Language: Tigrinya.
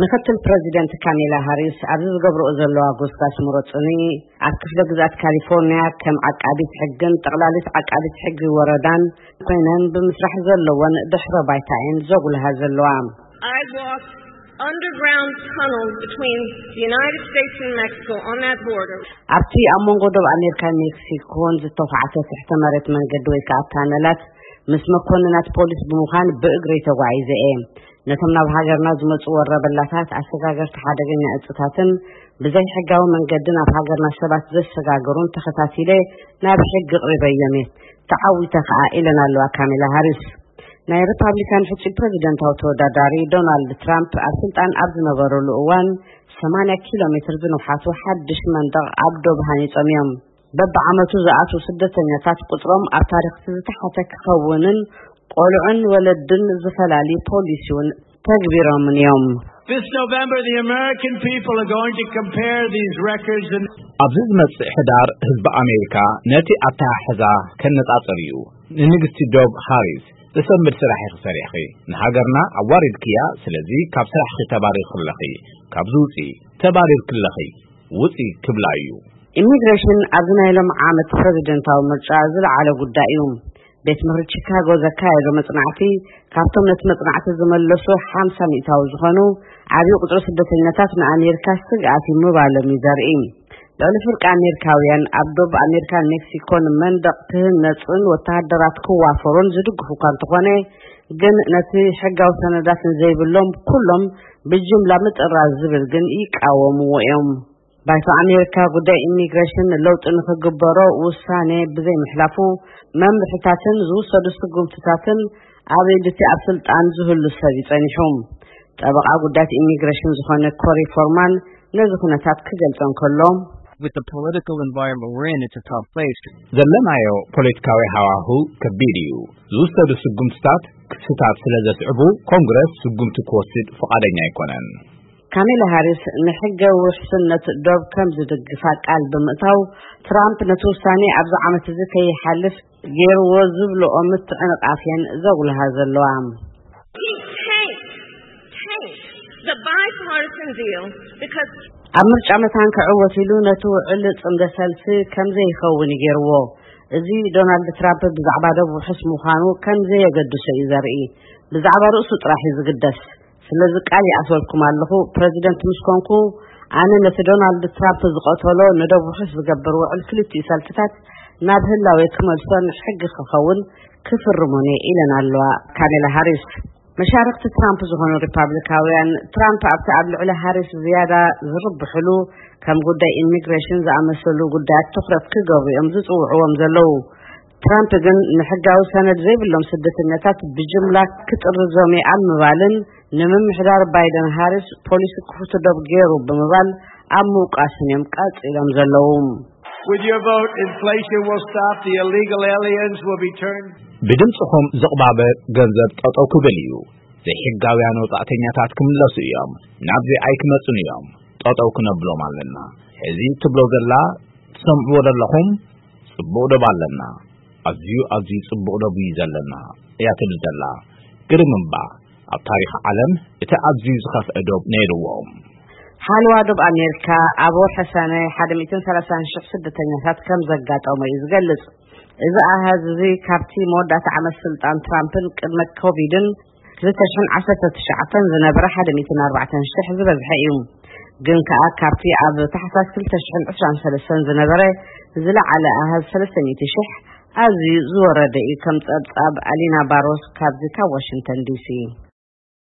ምክትል ፕረዚደንት ካሜላ ሃሪስ ኣብዚ ዝገብርኦ ዘለዋ ጎስጋስ ምረፁኒ ኣብ ክፍለ ግዝኣት ካሊፎርኒያ ከም ዓቃቢት ሕግን ጠቕላሊት ዓቃቢት ሕጊ ወረዳን ኮይነን ብምስራሕ ዘለወን ድሕረ ባይታ እየን ዘጉልሃ ዘለዋ። I walked underground tunnels between the United States and Mexico on that border. ኣብቲ ኣብ መንጎ ዶብ ኣሜሪካን ሜክሲኮን ዝተዃዕተ ትሕተ መሬት መንገዲ ወይ ከዓ ታነላት ምስ መኮንናት ፖሊስ ብምዃን ብእግሪ ተጓዒዘ እየ። ነቶም ናብ ሃገርና ዝመፁ ወረበላታት ኣሰጋገርቲ ሓደገኛ እፅታትን ብዘይ ሕጋዊ መንገዲ ናብ ሃገርና ሰባት ዘሰጋገሩን ተኸታቲለ ናብ ሕጊ ቅሪበዮም እየ። ተዓዊተ ከዓ ኢለን ኣለዋ ካሜላ ሃሪስ። ናይ ሪፓብሊካን ሕፁ ፕረዚደንታዊ ተወዳዳሪ ዶናልድ ትራምፕ ኣብ ስልጣን ኣብ ዝነበረሉ እዋን ሰማንያ ኪሎ ሜትር ዝንውሓቱ ሓድሽ መንደቕ ኣብ ዶብ ሃኒጾም እዮም። በብዓመቱ ዝኣትዉ ስደተኛታት ቁፅሮም ኣብ ታሪክ ዝተሓተ ክኸውንን ቆልዑን ወለድን ዝፈላሊ ፖሊሲ እውን ተግቢሮምን እዮም። This November, the American people are going to compare these records and ኣብዚ ዝመጽእ ሕዳር ህዝቢ ኣሜሪካ ነቲ ኣተሓሕዛ ከነጻጽር እዩ። ንንግስቲ ዶብ ሃሪስ ዘሰንብድ ስራሕ ኢኺ ሰሪሕኺ። ንሃገርና ኣዋሪድክያ፣ ስለዚ ካብ ስራሕኺ ተባሪርኪ ኣለኺ። ካብዚ ውጺ፣ ተባሪርኪ ኣለኺ፣ ውጺ ክብላ እዩ። ኢሚግሬሽን ኣብዚ ናይ ሎም ዓመት ፕረዚደንታዊ ምርጫ ዝለዓለ ጉዳይ እዩ። ቤት ምኽሪ ቺካጎ ዘካየዶ መጽናዕቲ ካብቶም ነቲ መጽናዕቲ ዝመለሱ ሓምሳ ሚእታዊ ዝኾኑ ዓብዪ ቁጽሪ ስደተኛታት ንኣሜሪካ ስግኣት እዩ ምባሎም እዩ ዘርኢ። ልዕሊ ፍርቂ ኣሜሪካውያን ኣብ ዶብ ኣሜሪካን ሜክሲኮን መንደቕ ክህነጽን ወተሃደራት ክዋፈሩን ዝድግፉ እኳ እንተኾነ ግን ነቲ ሕጋዊ ሰነዳት ንዘይብሎም ኩሎም ብጅምላ ምጥራዝ ዝብል ግን ይቃወምዎ እዮም። ባይቶ ኣሜሪካ ጉዳይ ኢሚግሬሽን ለውጢ ንክግበሮ ውሳኔ ብዘይምሕላፉ መምርሕታትን ዝውሰዱ ስጉምትታትን ኣብ ኢድ እቲ ኣብ ስልጣን ዝህሉ ሰብ ይጸኒሑ። ጠበቓ ጉዳያት ኢሚግሬሽን ዝኾነ ኮሪ ፎርማን ነዚ ኩነታት ክገልጾ እንከሎ With the political environment we're in, it's a tough place. ዘለናዮ ፖለቲካዊ ሃዋሁ ከቢድ እዩ። ዝውሰዱ ስጉምትታት ክስታት ስለ ዘስዕቡ ኮንግረስ ስጉምቲ ክወስድ ፍቓደኛ ኣይኮነን። ካሜላ ሃሪስ ንሕገ ውሕስነት ዶብ ከም ዝድግፋ ቃል ብምእታው ትራምፕ ነቲ ውሳኔ ኣብዚ ዓመት እዚ ከይሓልፍ ገይርዎ ዝብልኦ ምትዕንቓፍ እየን ዘጉልሃ ዘለዋ። He tanked, tanked the bipartisan deal because ኣብ ምርጫ መታን ክዕወት ኢሉ ነቲ ውዕል ጽምደ ሰልፊ ከም ዘይኸውን ገይርዎ። እዚ ዶናልድ ትራምፕ ብዛዕባ ዶብ ውሑስ ምዃኑ ከም ዘየገድሶ እዩ ዘርኢ። ብዛዕባ ርእሱ ጥራሕ እዩ ዝግደስ። ስለዚ ቃል ይኣትወልኩም ኣለኹ፣ ፕረዚደንት ምስ ኮንኩ ኣነ ነቲ ዶናልድ ትራምፕ ዝቐተሎ ንደብ ውሑስ ዝገብር ውዕል ክልቲኡ ሰልፍታት ናብ ህላዌ ክመልሶን ሕጊ ክኸውን ክፍርሞን እየ ኢለን ኣለዋ ካሜላ ሃሪስ። መሻርክቲ ትራምፕ ዝኾኑ ሪፓብሊካውያን ትራምፕ ኣብቲ ኣብ ልዕሊ ሃሪስ ዝያዳ ዝርብሕሉ ከም ጉዳይ ኢሚግሬሽን ዝኣመሰሉ ጉዳያት ትኹረት ክገብሩ እዮም ዝፅውዕዎም ዘለዉ። ትራምፕ ግን ንሕጋዊ ሰነድ ዘይብሎም ስደተኛታት ብጅምላ ክጥርዞም እየ ኣብ ምባልን ንምምሕዳር ባይደን ሃሪስ ፖሊሲ ክፉት ዶብ ገይሩ ብምባል ኣብ ምውቃስን እዮም ቀፂሎም ዘለዉ። With your vote, inflation will stop, the illegal aliens will be turned. ብድምፅኹም ዝቕባበ ገንዘብ ጠጠው ክብል እዩ። ዘይሕጋውያን ወጻእተኛታት ክምለሱ እዮም። ናብ ዘይኣይ ክመጹን እዮም። ጠጠው ክነብሎም ኣለና። ሕዚ ትብሎ ዘላ ትሰምዕዎ ዘለኹም ጽቡቕ ዶብ ኣለና። ኣዝዩ ኣዝዩ ጽቡቕ ዶብ እዩ ዘለና እያ ትብል ዘላ። ግርም እምባ ኣብ ታሪኽ ዓለም እቲ ኣዝዩ ዝኸፍአ ዶብ ነይርዎም። ሓለዋ ዶብ ኣሜሪካ ኣብ ወርሒ ሰነ ሓደ ሚእትን ሰላሳን ሽሕ ስደተኛታት ከም ዘጋጠሞ እዩ ዝገልጽ። እዚ ኣሃዝ እዚ ካብቲ መወዳእታ ዓመት ስልጣን ትራምፕን ቅድመ ኮቪድን ክልተ ሽሕን ዓሰርተ ትሽዓተን ዝነበረ ሓደ ሚእትን ኣርባዕተን ሽሕ ዝበዝሐ እዩ። ግን ከኣ ካብቲ ኣብ ታሕሳስ ክልተ ሽሕን ዕስራን ሰለስተን ዝነበረ ዝለዓለ ኣሃዝ ሰለስተ ሚእቲ ሽሕ ኣዝዩ ዝወረደ እዩ። ከም ጸብጻብ ኣሊና ባሮስ ካብዚ ካብ ዋሽንግተን ዲሲ።